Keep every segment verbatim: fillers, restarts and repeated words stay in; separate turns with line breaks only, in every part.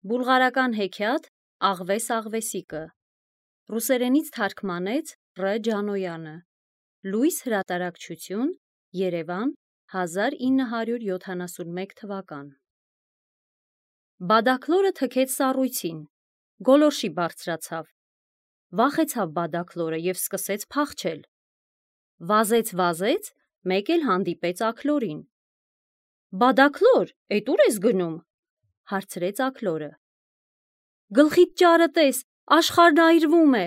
Բուլղարական հեքիաթ Աղվես Աղվեսիկը ռուսերենից թարգմանեց Ռ. Ջանոյանը Լույս հրատարակչություն Երևան հազար ինը հարյուր յոթանասունմեկ թվական Բադաքլորը թքեց սառույցին, գոլորշի բարձրացավ, վախեցավ Բադաքլորը և սկսեց փախչել, վազեց վազեց, մեկ էլ հանդիպեց Աքլորին: Բադաքլոր, էդ ուր ես գնում: Հարցրեց Աքլորը: Գլխիդ ճարը տես, աշխարհն այրվում է: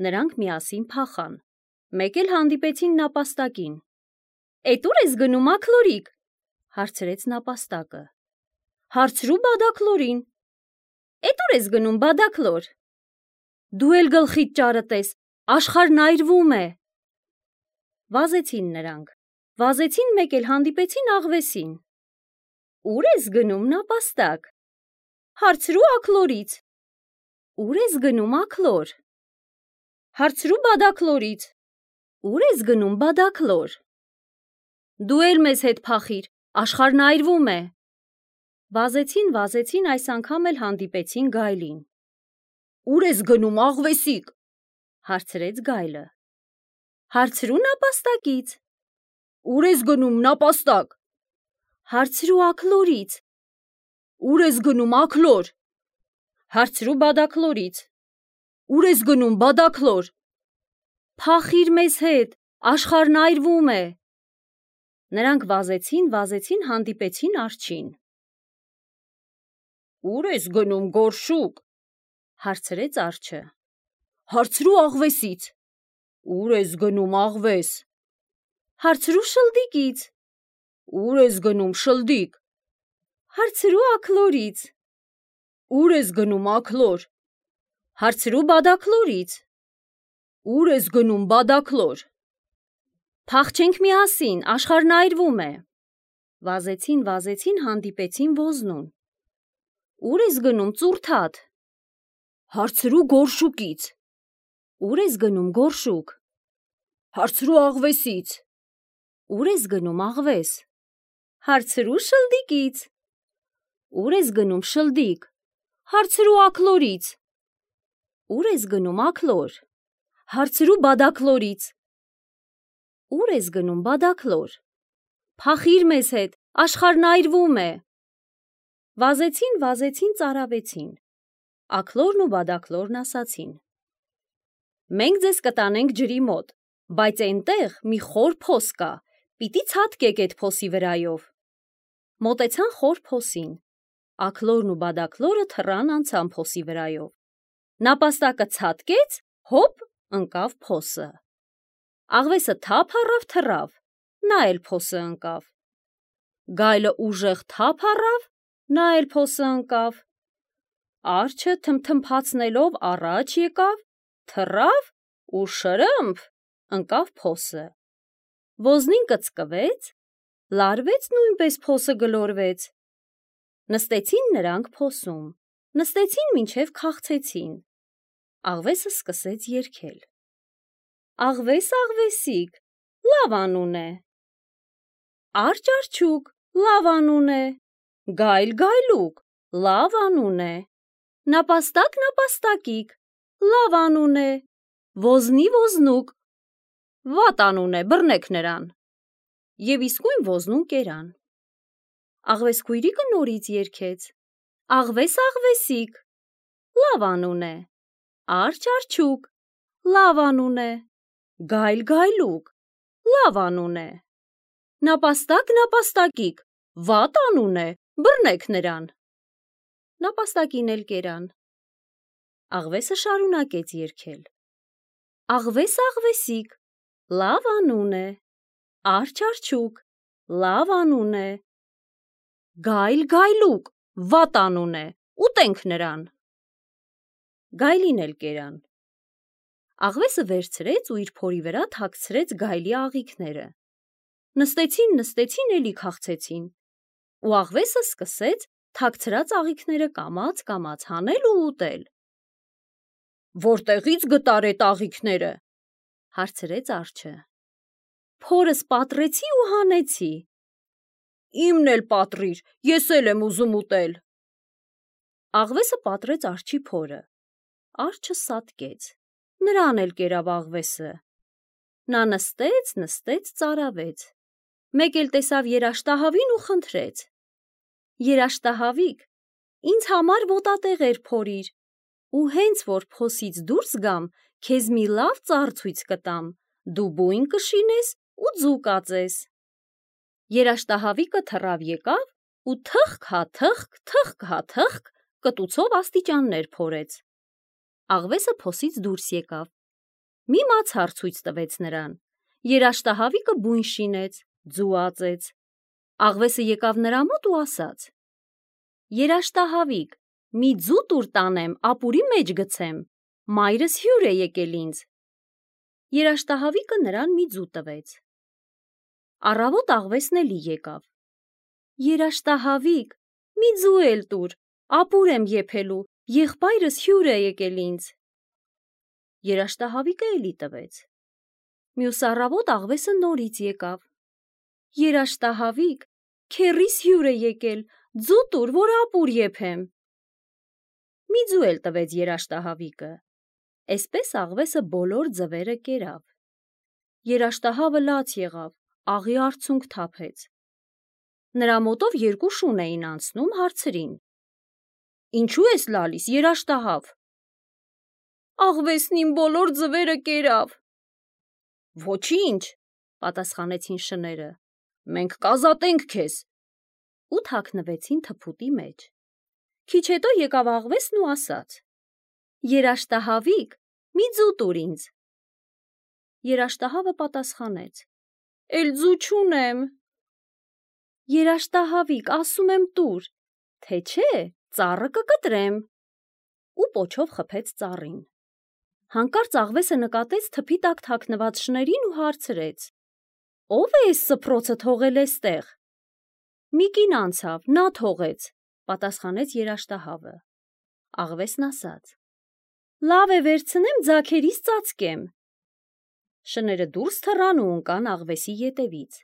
Նրանք միասին փախան, մեկ էլ հանդիպեցին նապաստակին: Էդ ուր ես գնում, Աքլորիկ: Հարցրեց նապաստակը: Հարցրու Բադաքլորին: Էդ ուր ես գնում, Բադաքլոր: Դու էլ գլխիդ ճարը տես, աշխարհն այրվում է: Վազեցին նրանք, վազեցին մեկ էլ հանդիպեցին Աղվեսին: Ուր ես գնում, նապաստակ: Հարցրու Աքլորից: Ուր ես գնում, Աքլոր: Հարցրու Բադաքլորից: Ուր ես գնում, Բադաքլոր: Դու էլ մեզ հետ փախիր, աշխարհն այրվում է: Վազեցին, վազեցին, այս անգամ էլ հանդիպեցին գայլին: Ուր ես գնում, Աղվեսիկ: Հարցրեց գայլը: Հարցրու նապաստակից: Ուր ես գնում, նապաստակ: Հարցրու Աքլորից: Ուր ես գնում, Աքլոր: Հարցրու Բադաքլորից: Ուր ես գնում, Բադաքլոր: Փախիր մեզ հետ, աշխարհն այրվում է: Նրանք վազեցին, վազեցին, հանդիպեցին արջին: Ուր ես գնում, գորշուկ: Հարցրեց արջը: Հարցրու Աղվեսից: Ուր ես գնում, Աղվես: Հարցրու շլդիկից: Ուր ես գնում, շլդիկ: Հարցրու Աքլորից: Ուր ես գնում, Աքլոր: Հարցրու Բադաքլորից: Ուր ես գնում, Բադաքլոր: Փախչենք միասին, աշխարհն այրվում է: Վազեցին, վազեցին, հանդիպեցին ոզնուն: Ուր ես գնում, ծուռթաթ: Հարցրու գորշուկից: Ուր ես գնում, գորշուկ: Հարցրու Աղվեսից: Ուր ես գնում, Աղվես: Հարցրու շլդիկից: Ուր ես գնում, շլդիկ: Հարցրու Աքլորից: Ուր ես գնում, Աքլոր: Հարցրու Բադաքլորից: Ուր ես գնում, Բադաքլոր: Փախիր մեզ հետ, աշխարհն այրվում է: Վազեցին, վազեցին, ծարավեցին: Աքլորն ու Բադաքլորն ասացին: Մենք ձեզ կտանենք ջրի մոտ, բայց էնտեղ մի խոր փոս կա, պիտի ցատկեք էդ փոսի վրայով: Մոտեցան խոր փոսին: Աքլորն ու Բադաքլորը թռան անցան փոսի վրայով: Նապաստակը ցատկեց, հոպ, ընկավ փոսը: Աղվեսը թափ առավ, թռավ, նա էլ փոսը ընկավ: Գայլը ուժեղ թափ առավ, նա էլ փոսը ընկավ: Արջը թմթմփացնելով առաջ եկավ, թռավ ու շրըմփ, ընկավ փոսը: Ոզնին կծկվեց, լարվեց նույնպես փոսը գլորվեց: Նստեցին նրանք փոսում, նստեցին մինչև քաղցեցին: Աղվեսը սկսեց երգել: Աղվես Աղվեսիկ, լավ անուն է: Արջ Արջուկ, լավ անուն է: Գայլ Գայլուկ, լավ անուն է: Նապաստակ Նապաստակիկ, լավ անուն է: Ոզնի Ոզնուկ, վատ անուն է, բռնեք նրան: Եվ իսկույն ոզնուն կերան: Աղվես քույրիկը նորից երգեց: Աղվես Աղվեսիկ, լավ անուն է: Արջ Արջուկ, լավ անուն է: Գայլ Գայլուկ, լավ անուն է: Նապաստակ Նապաստակիկ, վատ անուն է, բռնեք նրան: Նապաստակին էլ կերան: Աղվեսը շարունակեց երգել: Աղվես Աղվեսիկ, լավ անուն է: Արջ Արջուկ, լավ անուն է: Գայլ Գայլուկ, վատ անուն է, ուտենք նրան: Գայլին էլ կերան: Աղվեսը վերցրեց ու իր փորի վրա թաքցրեց գայլի աղիքները: Նստեցին, նստեցին, էլի քաղցեցին: Ու Աղվեսը սկսեց թաքցրած աղիքները կամաց հանել ու ուտել: Որտեղի՞ց գտար էդ աղիքները: Հարցրեց արջը: Փորս պատռեցի ու հանեցի: Իմն էլ պատռիր, ես էլ եմ ուզում ուտել: Աղվեսը պատրեց արջի փորը։ Արջը սատկեց, նրան էլ կերավ աղվեսը։ Նա նստեց, նստեց, ծարավեց։ Մեկ էլ տեսավ երաշտահավին ու խնդրեց. երաշտահավիկ, ինձ համար ոտատեղ էր փորիր, ու հենց որ փոսից դուրս գամ, քեզ մի լավ ծառ ցույց կտամ, դու բույն կշինես ու ձու կածես։ Երաշտահավիկը թռավ եկավ ու թխկ հա թխկ, թխկ հա թխկ կտուցով աստիճաններ փորեց։ Աղվեսը փոսից դուրս եկավ, մի մացառ ցույց տվեց նրան։ Երաշտահավիկը բույն շինեց, ձու ածեց։ Աղվեսը եկավ նրա մոտ ու ասաց. երաշտահավիկ, մի ձու տուր տանեմ, ապուրի մեջ գցեմ, մայրս հյուր է եկել ինձ։ Երաշտահավիկը նրան մի ձու տվեց։ Առավոտ աղվեսն էլի եկավ. երաշտահավիկ, մի ձու էլ տուր, ապուր եմ եփելու, եղբայրս հյուր է եկել ինձ։ Երաշտահավիկը էլի տվեց։ Մյուս առավոտ աղվեսը նորից եկավ. երաշտահավիկ, քեռիս հյուր է եկել, ձու տուր, որ ապուր եփեմ։ Մի ձու էլ տվեց երաշտահավիկը։ Էսպես աղվեսը բոլոր ձվերը կերավ։ Երաշտահավը լաց եղավ, աղի արցունք թափեց։ Նրա մոտով երկու շուն էին անցնում, հարցրին. ինչու ես լալիս, երաշտահավ։ Աղվեսն իմ բոլոր ձվերը կերավ։ Ոչինչ, պատասխանեցին շները, մենք կազատենք քեզ։ Ու թաքնվեցին թփուտի մեջ։ Քիչ հետո եկավ աղվեսն ու ասաց. երաշտահավիկ, մի ձու տուր ինձ։ Երաշտահավը պատասխանեց. էլ ձու չունեմ։ Երաշտահավիկ, ասում եմ տուր, թե չէ, ծառը կկտրեմ։ Ու պոչով խփեց ծառին։ Հանկարծ աղվեսը նկատեց թփի տակ թաքնված շներին ու հարցրեց. ո՞վ է էս սփռոցը թողել էստեղ։ Մի կին անցավ, նա թողեց, պատասխանեց երաշտահավը։ Աղվեսն ասաց. լավ է, վերցնեմ, ձագերիս ծածկեմ։ Շները դուրս թռան ու ընկան աղվեսի ետևից։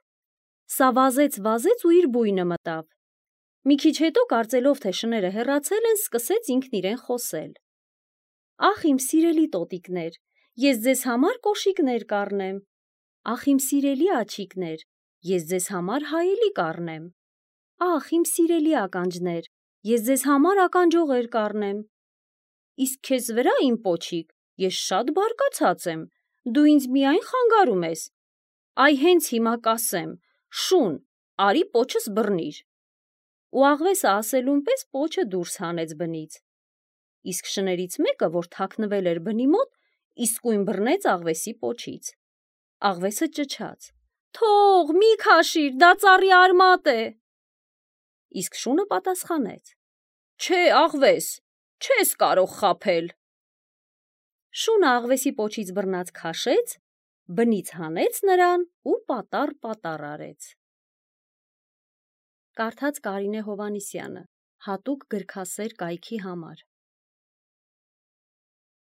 Սա վազեց, վազեց ու իր բույնը մտավ։ Մի քիչ հետո, կարծելով, թե շները հեռացել են, սկսեց ինքն իրեն խոսել. Ախ, իմ սիրելի տոտիկներ, ես ձեզ համար կոշիկներ կառնեմ։ Ախ, իմ սիրելի աջիկներ, ես ձեզ համար հայելի կառնեմ։ Ախ, իմ սիրելի ականջներ, ես ձեզ համար ականջողեր կառնեմ։ Իսկ քեզ վրա, իմ պոչիկ, ես շատ բարկացած եմ, դու ինձ միայն խանգարում ես։ Այ հենց հիմա կասեմ, շուն, արի պոչս բռնիր։ Ու աղվեսը ասելուն պես պոչը դուրս հանեց բնից։ Իսկ շներից մեկը, որ թաքնվել էր բնի մոտ, իսկույն բռնեց աղվեսի պոչից։ Աղվեսը ճչաց. թող, մի քաշիր, դա ծառի արմատ է։ Իսկ շունը պատասխանեց. չէ, աղվես, չես կարող խաբել։ Շունը աղվեսի պոչից բռնած քաշեց, բնից հանեց նրան ու պատառ-պատառ արեց։ Կարդաց Կարինե Հովհաննիսյանը, հատուկ գրքասեր կայքի համար։